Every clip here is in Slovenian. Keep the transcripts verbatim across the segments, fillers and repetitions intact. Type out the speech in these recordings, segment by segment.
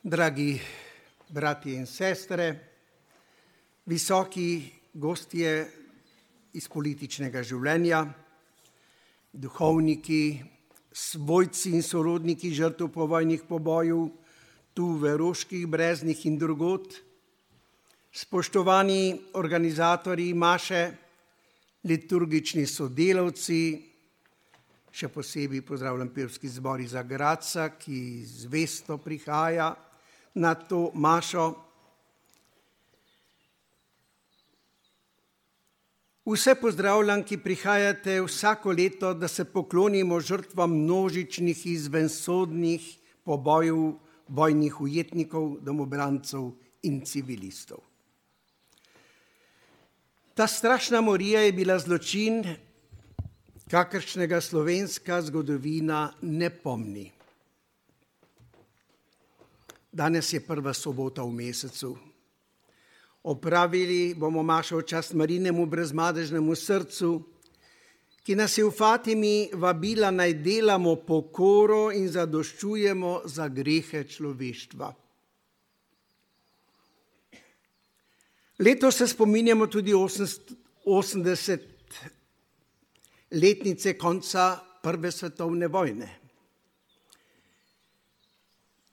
Dragi bratje in sestre, visoki gostje iz političnega življenja, duhovniki, svojci in sorodniki žrtev povojnih pobojev tu v Roških Breznih in drugod, spoštovani organizatorji maše, liturgični sodelavci, še posebej pozdravljam pevski zbor iz Gradca, ki zvesto prihaja na to mašo. Vse pozdravljam, ki prihajate vsako leto, da se poklonimo žrtvam množičnih izvensodnih pobojev vojnih ujetnikov, domobrancev in civilistov. Ta strašna morija je bila zločin, kakršnega slovenska zgodovina ne pomni. Danes je prva sobota v mesecu. Opravili bomo mašo v čast Marijinemu brezmadežnemu srcu, ki nas je v Fatimi vabila naj delamo pokoro in zadoščujemo za grehe človeštva. Letos se spominjamo tudi osemdeset letnice konca prve svetovne vojne.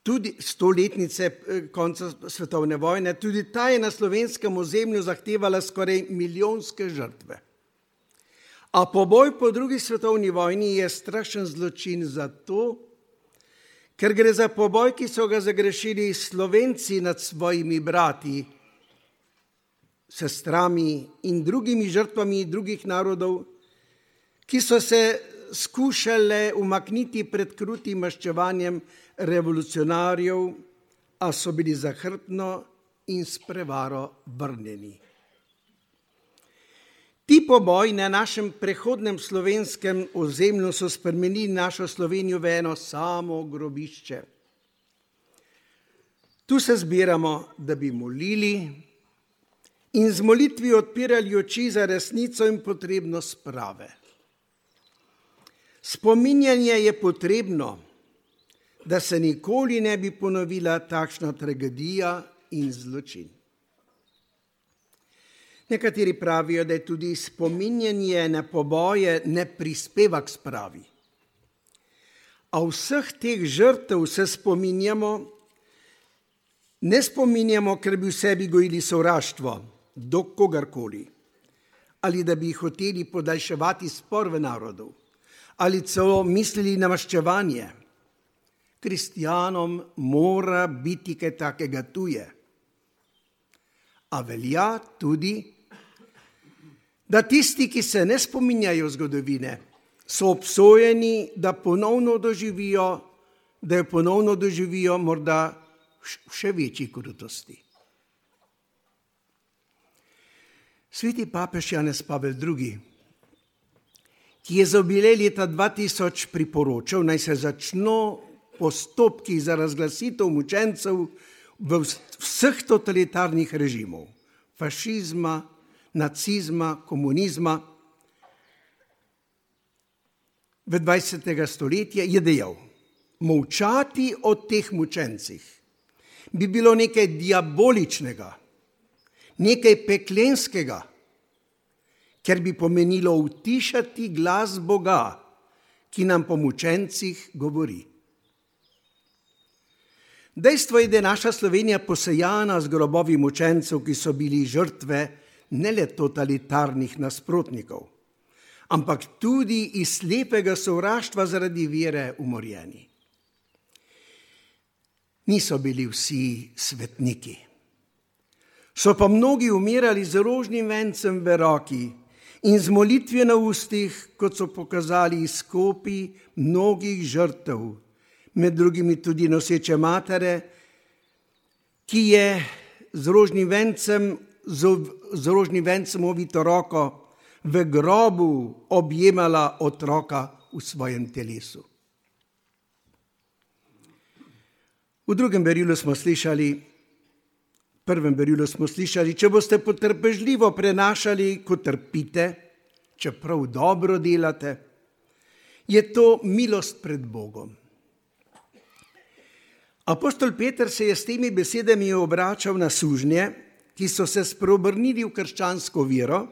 Tudi stoletnice konca svetovne vojne, tudi ta je na slovenskem ozemlju zahtevala skoraj milijonske žrtve. A poboj po drugi svetovni vojni je strašen zločin zato, ker gre za poboj, ki so ga zagrešili Slovenci nad svojimi brati, sestrami in drugimi žrtvami drugih narodov, ki so se skušale umakniti pred krutim maščevanjem revolucionarjev, a so bili zahrbtno in s prevaro vrnjeni. Ti poboji na našem prehodnem slovenskem ozemlju so spremenili našo Slovenijo v eno samo grobišče. Tu se zbiramo, da bi molili in z molitvijo odpirali oči za resnico in potrebnost sprave. Spominjanje je potrebno, da se nikoli ne bi ponovila takšna tragedija in zločin. Nekateri pravijo, da je tudi spominjanje na poboje ne prispeva k spravi. A vseh teh žrtev se spominjamo, ne spominjamo, ker bi v sebi gojili sovraštvo do kogarkoli, ali da bi hoteli podaljševati spor v narodu, ali celo mislili na maščevanje. Kristjanom mora biti kaj takega tuje. A velja tudi, da tisti, ki se ne spominjajo zgodovine, so obsojeni, da ponovno doživijo, da jo ponovno doživijo morda še večji krutosti. Sveti papež Janez Pavel drugi, ki je za jubilej leta dva tisoč priporočal, naj se začno postopki za razglasitev mučencev v vseh totalitarnih režimov, fašizma, nacizma, komunizma. V dvajsetega stoletja je dejal, molčati o teh mučencih bi bilo nekaj diaboličnega, nekaj peklenskega, ker bi pomenilo utišati glas Boga, ki nam po mučencih govori. Dejstvo je, da je naša Slovenija posejana z grobovi mučencev, ki so bili žrtve ne le totalitarnih nasprotnikov, ampak tudi iz slepega sovraštva zaradi vere umorjeni. Niso bili vsi svetniki. So pa mnogi umirali z rožnim vencem v roki in z molitvijo na ustih, kot so pokazali izkopi mnogih žrtev, med drugimi tudi noseče matere, ki je z rožnim vencem, z rožnim vencem ovito roko v grobu objemala otroka v svojem telesu. V drugem berilu smo slišali, v prvem berilu smo slišali, če boste potrpežljivo prenašali, ko trpite, čeprav dobro delate, je to milost pred Bogom. Apostol Peter se je s temi besedami obračal na sužnje, ki so se spreobrnili v krščansko vero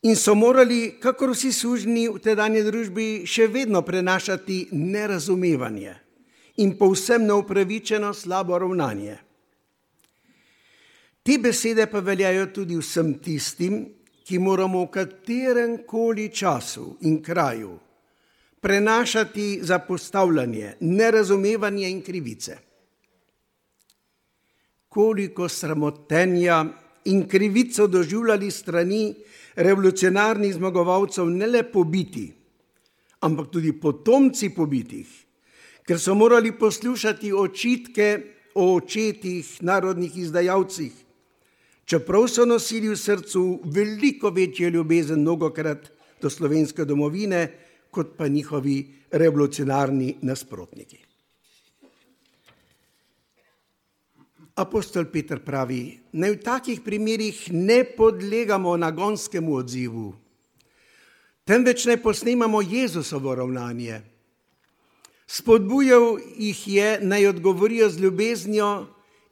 in so morali, kakor vsi sužnji v tedanji družbi, še vedno prenašati nerazumevanje in povsem neupravičeno slabo ravnanje. Te besede pa veljajo tudi vsem tistim, ki moramo v katerem koli času in kraju prenašati zapostavljanje, nerazumevanje in krivice. Koliko sramotenja in krivico doživljali strani revolucionarnih zmagovalcev ne le pobiti, ampak tudi potomci pobitih, ker so morali poslušati očitke o očetih, narodnih izdajalcih, čeprav so nosili v srcu veliko večjo ljubezen mnogokrat do slovenske domovine, kot pa njihovi revolucionarni nasprotniki. Apostol Peter pravi, naj v takih primerih ne podlegamo nagonskemu odzivu, temveč naj posnemamo Jezusovo ravnanje. Spodbujal jih je, naj odgovorijo z ljubeznijo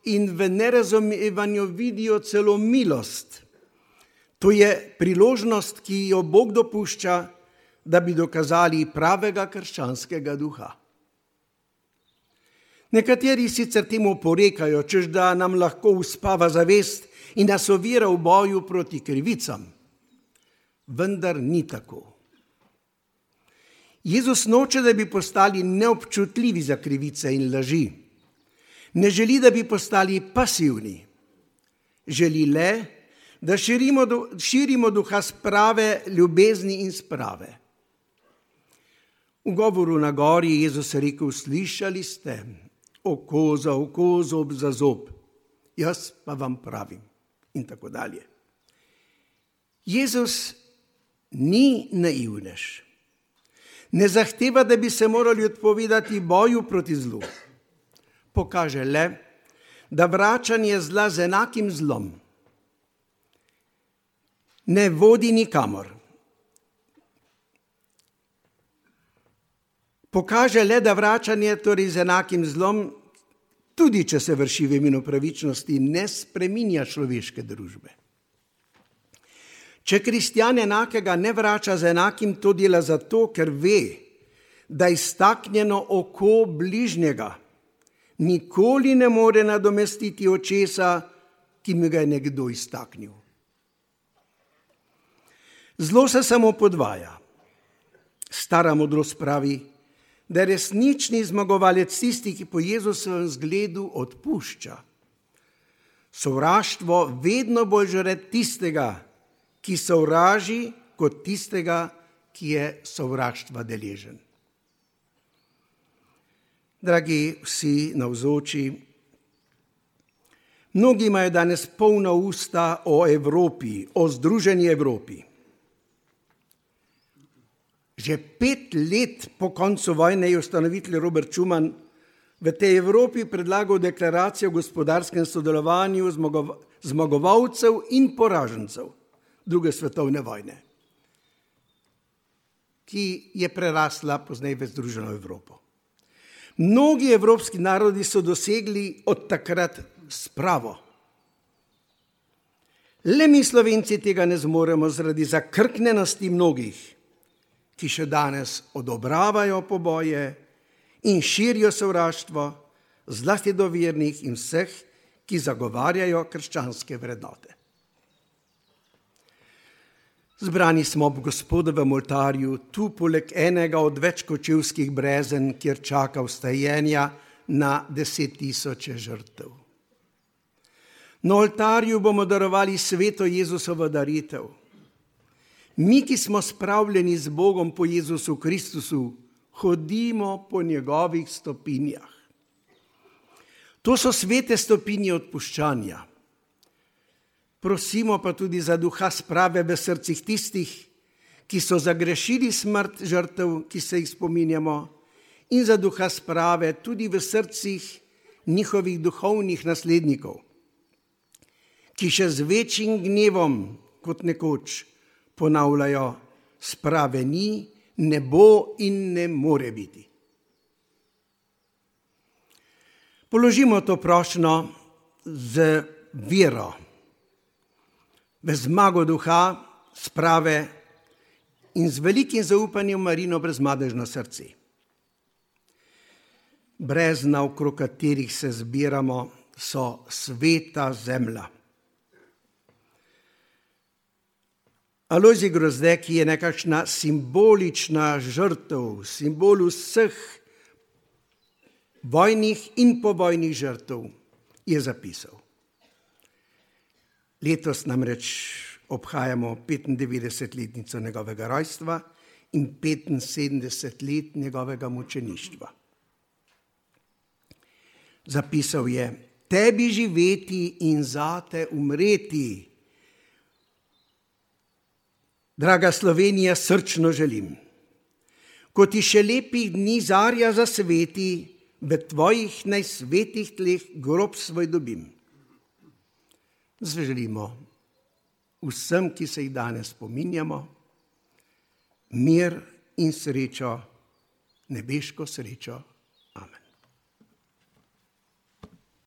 in v nerazumevanju vidijo celo milost. To je priložnost, ki jo Bog dopušča, da bi dokazali pravega krščanskega duha. Nekateri sicer temu porekajo, češ da nam lahko uspava zavest in nas ovira v boju proti krivicam. Vendar ni tako. Jezus noče, da bi postali neobčutljivi za krivice in laži. Ne želi, da bi postali pasivni. Želi le, da širimo, širimo duha sprave, ljubezni in sprave. V govoru na gori je Jezus rekel, slišali ste, oko za oko, zob za zob, jaz pa vam pravim in tako dalje. Jezus ni naivnež. Ne zahteva, da bi se morali odpovedati boju proti zlu. Pokaže le, da vračanje zla z enakim zlom ne vodi nikamor. Pokaže le, da vračanje torej z enakim zlom, tudi če se vrši v imenu pravičnosti, ne spreminja človeške družbe. Če kristjan enakega ne vrača z enakim, to dela zato, ker ve, da iztaknjeno oko bližnjega nikoli ne more nadomestiti očesa, ki mi ga je nekdo iztaknil. Zlo se samo podvaja. Stara modrost pravi, da je resnični zmagovalec tisti, ki po Jezusovem zgledu odpušča. Sovraštvo vedno bolj žre tistega, ki sovraži, kot tistega, ki je sovraštva deležen. Dragi vsi navzoči, mnogi imajo danes polna usta o Evropi, o združeni Evropi. Že pet let po koncu vojne je ustanovitelj Robert Schuman v tej Evropi predlagal deklaracijo o gospodarskem sodelovanju zmagovalcev in poražencev druge svetovne vojne, ki je prerasla pozneje v združeno Evropo. Mnogi evropski narodi so dosegli od takrat spravo. Le mi Slovenci tega ne zmoremo zaradi zakrknenosti mnogih, ki še danes odobravajo poboje in širijo sovraštvo, zlasti do vernih in vseh, ki zagovarjajo krščanske vrednote. Zbrani smo ob Gospodovem oltarju, tu poleg enega od več kočevskih brezen, kjer čaka vstajenja na deset tisoče žrtev. Na oltarju bomo darovali sveto Jezusovo daritev. Mi, ki smo spravljeni z Bogom po Jezusu Kristusu, hodimo po njegovih stopinjah. To so svete stopinje odpuščanja. Prosimo pa tudi za duha sprave v srcih tistih, ki so zagrešili smrt žrtev, ki se jih spominjamo, in za duha sprave tudi v srcih njihovih duhovnih naslednikov, ki še z večjim gnevom kot nekoč ponavljajo, sprave ni, ne bo in ne more biti. Položimo to prošnjo z vero, v zmago duha, sprave in z velikim zaupanjem Marino brezmadežno srce. Brezna, okrog katerih se zbiramo, so sveta zemlja. Alojzij Grozdek je nekakšna simbolična žrtev, simbol vseh vojnih in povojnih žrtev, je zapisal. Letos namreč obhajamo petindevetdesetletnico njegovega rojstva in petinsedemdeset let njegovega mučeništva. Zapisal je: tebi živeti in zate umreti. Draga Slovenija, srčno želim, ko ti še lepih dni zarja zasveti, v tvojih najsvetih tleh grob svoj dobim. Želimo vsem, ki se jih danes spominjamo, mir in srečo, nebeško srečo. Amen.